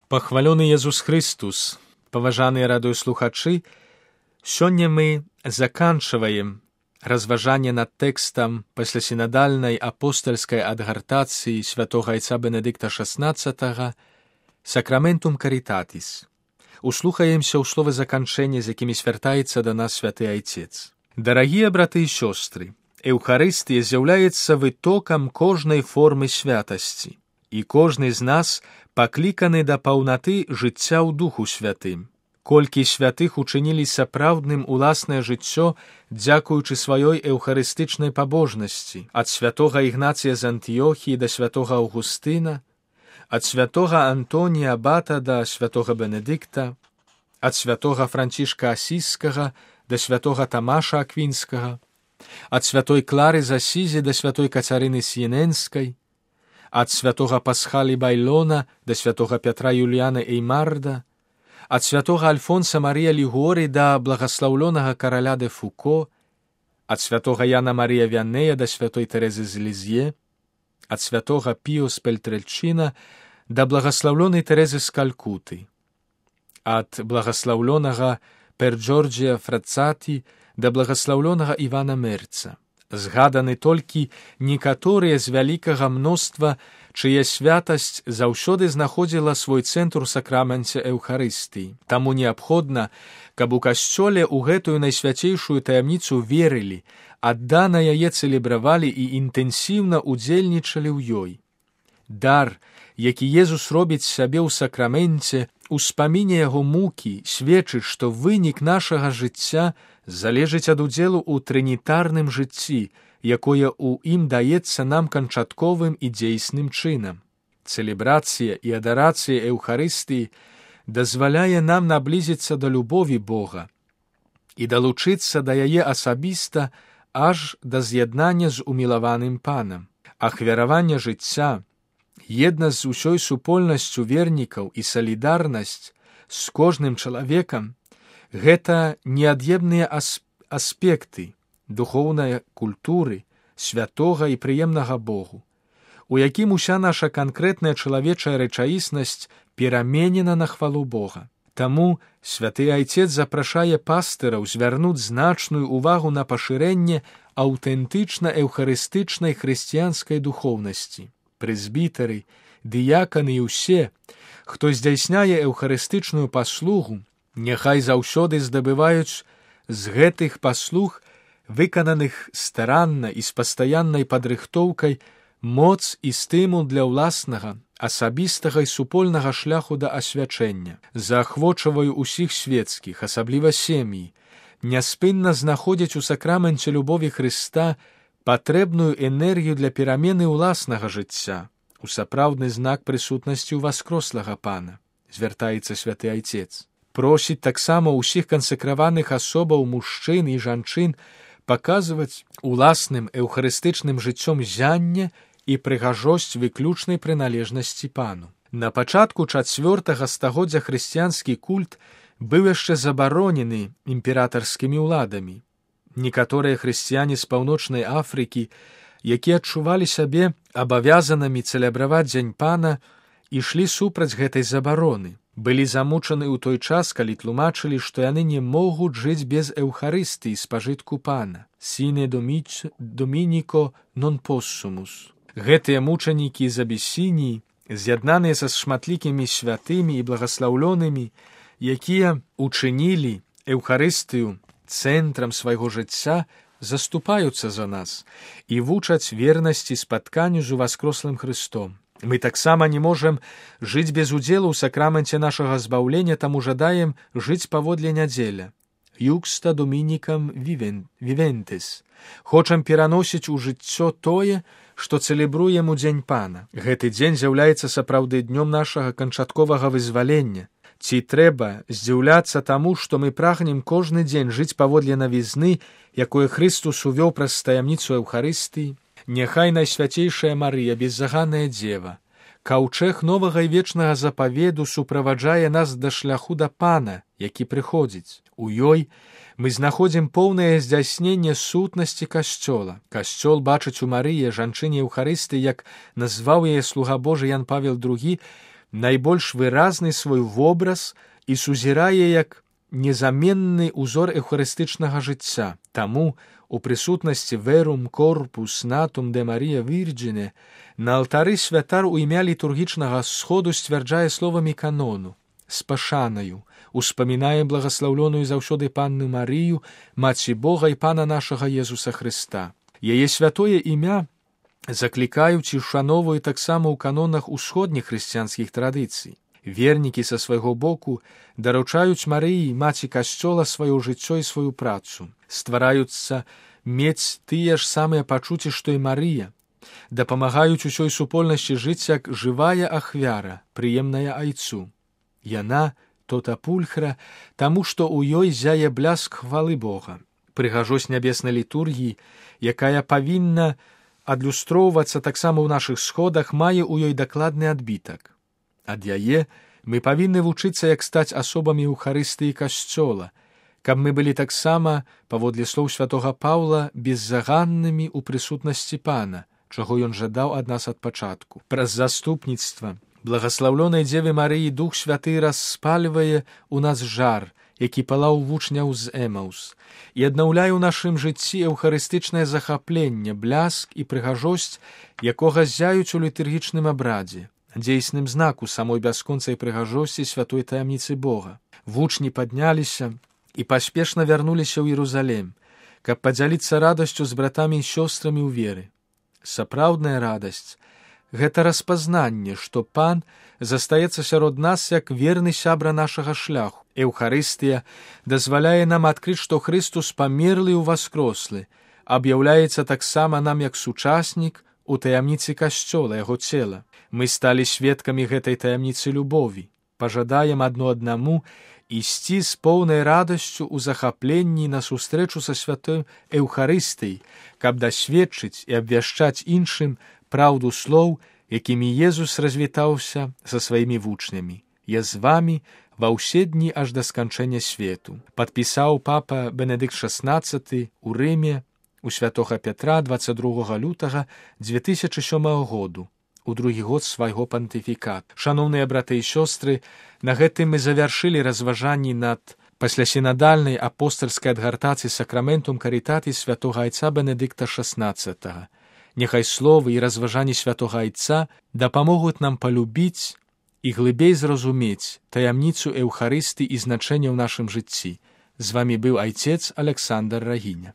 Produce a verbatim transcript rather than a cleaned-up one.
Пахвалёны Езус Христус, паважаныя радыёслухачы, сёння мы заканчваем разважанне над тэкстам паслясінадальнай апостальскай адгартацыі святога айца Бенедыкта шаснаццатага «Сакраментум Каритатис». Услухаемся ў словы заканчэння, з якімі звяртаецца да нас святы айцец. Дарагія браты і сёстры, Эўхарыстыя з'яўляецца вытокам кожнай формы святасці, і кожны з нас пакліканы да паўнаты жыцця ў Духу Святым. Колькі святых учынілі сапраўдным уласнае жыццё, дзякуючы сваёй эўхарыстычнай пабожнасці, ад святога Ігнація з Антыёхіі да святога Аўгустына, ад святога Антонія Абата да святога Бенедыкта, ад святога Францішка Асіскага да святога Тамаша Аквінскага, ад святой Клары з Асізі да святой Кацярыны Сіененскай, ад святога Пасхалі Байлона да святога Пятра Юліяна Эймарда, ад святога Альфонса Марія Лігоры да благаслаўлёнага караля де Фуко, ад святога Яна Марія Вянея да святой Тэрэзы з Лізье, ад святога Піо з Пельтрэльчына да благаслаўлёнай Тэрэзы з Калькуты, ад благаслаўлёнага Пер-Джорджія Фрацаті да благаслаўлёнага Івана Мерца. Згаданы толькі некаторыя з вялікага мноства, чыя святасць заўсёды знаходзіла свой цэнтр у сакраменце Эўхарыстыі. Таму неабходна, каб у касцёле ў гэтую найсвяцейшую таямніцу верылі, аддана яе цэлебравалі і інтэнсіўна удзельнічалі ў ёй. Дар, які Езус робіць сабе ў сакраменце, успаміне яго мукі, сведчыць, што вынік нашага жыцця залежыць ад удзелу ў трынітарным жыцці, якое ў ім даецца нам канчатковым і дзейсным чынам. Цэлебрацыя і адарацыя Эўхарыстыі дазваляе нам наблізіцца да любові Бога і далучыцца да яе асабіста аж да з'яднання з умілаваным Панам. Ахвяраванне жыцця, еднасць з усёй супольнасцю вернікаў і салідарнасць з кожным чалавекам — гэта неад'емныя аспекты духоўнай культуры, святога і прыемнага Богу, у якім уся наша канкрэтная чалавечая рэчаіснасць пераменена на хвалу Бога. Таму святы айцец запрашае пастыраў звярнуць значную увагу на пашырэнне аўтэнтычна-эўхарыстычнай хрысціянскай духоўнасці. Прэзбітары, дыяканы і ўсе, хто здзяйсняе эўхарыстычную паслугу, няхай заўсёды здабываюць з гэтых паслуг, выкананых старанна і з пастаяннай падрыхтоўкай, моц і стымул для ўласнага, асабістага і супольнага шляху да асвячэння. Заахвочваю ўсіх свецкіх, асабліва сем'і, няспынна знаходзяць у сакраменце любові Хрыста патрэбную энергію для перамены ўласнага жыцця, у сапраўдны знак прысутнасці ў васкрослага Пана, звяртаецца святы айцец. Просіць таксама ўсіх кансакраваных асобаў мужчын і жанчын паказваць уласным эўхарыстычным жыццём зянне і прыгажосць выключнай прыналежнасці Пану. На пачатку чацвёртага стагоддзя хрысціянскі культ быў яшчэ забаронены імператарскімі ўладамі. Некаторыя хрысціяне з паўночнай Афрыкі, якія адчувалі сябе абавязанымі цэлебраваць дзень Пана, ішлі супраць гэтай забароны. Былі замучаны ў той час, калі тлумачылі, што яны не могуць жыць без эўхарыстыі спажытку Пана. Сіне домініко нон поссумус. Гэтыя мучанікі з Абісініі, з'яднаныя са шматлікімі святымі і благаслаўлёнымі, якія учынілі эўхарыстыю цэнтрам свайго жыцця, заступаюцца за нас і вучаць вернасці спатканню з уваскрослым Хрыстом. Мы таксама не можам жыць без удзелу ў сакраменце нашага збаўлення, таму жадаем жыць паводле нядзеля. Юкста домінікам вівентес. Хочам пераносіць у жыццё тое, што цэлебруем у дзень Пана. Гэты дзень з'яўляецца сапраўды днём нашага канчатковага вызвалення. Ці трэба здзіўляцца таму, што мы прагнем кожны дзень жыць паводле навізны, якое Хрыстус увёў праз таямніцу Эўхарыстыі? Няхай найсвяцейшая Марыя, беззаганная дзева, каўчэг новага і вечнага запаведу суправаджае нас да шляху да Пана, які прыходзіць. У ёй мы знаходзім поўнае здзяйсненне сутнасці касцёла. Касцёл бачыць у Марыі, жанчыне Эўхарыстыі, як назваў яе слуга Божы Ян Павел другі, найбольш выразны свой вобраз і сузірае як незаменны ўзор эўхарыстычнага жыцця. Таму у прысутнасці «Verum corpus natum de Maria Virgine» на алтары святар у імя літургічнага сходу сцвярджае словамі канону: «З пашанаю успамінае благаслаўлёную заўсёды Панну Марыю, Маці Бога і Пана нашага Езуса Хрыста». Яе святое імя заклікаюць і ушановуюць таксама ў канонах усходніх хрысціянскіх традыцый. Вернікі са свайго боку даручаюць Марыі, Маці Касцёла, сваё жыццё і сваю працу. Ствараюцца мець тыя ж самыя пачуцці, што і Марыя. Дапамагаюць усёй супольнасці жыць як жывая ахвяра, прыемная айцу. Яна тота пульхра, таму што ў ёй зяе бляск хвалы Бога. Прыгажосць нябеснай літургіі, якая павінна адлюстроўвацца таксама ў нашых сходах, мае ў ёй дакладны адбітак. Ад яе мы павінны вучыцца, як стаць асобамі Эўхарыстыі Касцёла, каб мы былі таксама, паводле слоў святога Паўла, беззаганнымі ў прысутнасці Пана, чаго ён жадаў ад нас ад пачатку. Праз заступніцтва благаслаўлёнай Дзевы Марыі Дух Святы распальвае ў нас жар, які палаў вучняў з Эмаўс, і аднаўляе ў нашым жыцці эўхарыстычнае захапленне, бляск і прыгажосць, якога зяюць у літургічным абрадзе, дзейсным знаку самой бясконцай прыгажосці святой таямніцы Бога. Вучні падняліся і паспешна вярнуліся ў Іерусалім, каб падзяліцца радасцю з братамі і сёстрамі ў веры. Сапраўдная радасць — гэта распазнанне, што Пан застаецца сярод нас як верны сябра нашага шляху. Эўхарыстыя дазваляе нам адкрыць, што Хрыстус памерлы і ўваскрослы, аб'яўляецца таксама нам як сучаснік у таямніцы Касцёла, яго цела. Мы сталі сведкамі гэтай таямніцы любові. Пажадаем адно аднаму ісці з поўнай радасцю ў захапленні на сустрэчу са святой Эўхарыстыяй, каб дасведчыць і абвяшчаць іншым праўду слоў, якімі Езус развітаўся са сваімі вучнямі: «Я з вамі ва ўсе дні аж да сканчэння свету». Падпісаў папа Бенедыкт шаснаццаты ў Рыме у святога Пятра дваццаць другога лютага дзве тысячы сёмага году, у другі год свайго пантыфікату. Шаноўныя браты і сёстры, на гэтым мы завяршылі разважанні над паслясінадальнай апостальскай адгартацыі сакраментум карытатис святога айца Бенедыкта шаснаццатага. Няхай словы і разважанні святога айца дапамогуць нам палюбіць і глыбей зразумець таямніцу Эўхарысты і значэння ў нашым жыцці. З вамі быў айцец Александр Рагіня.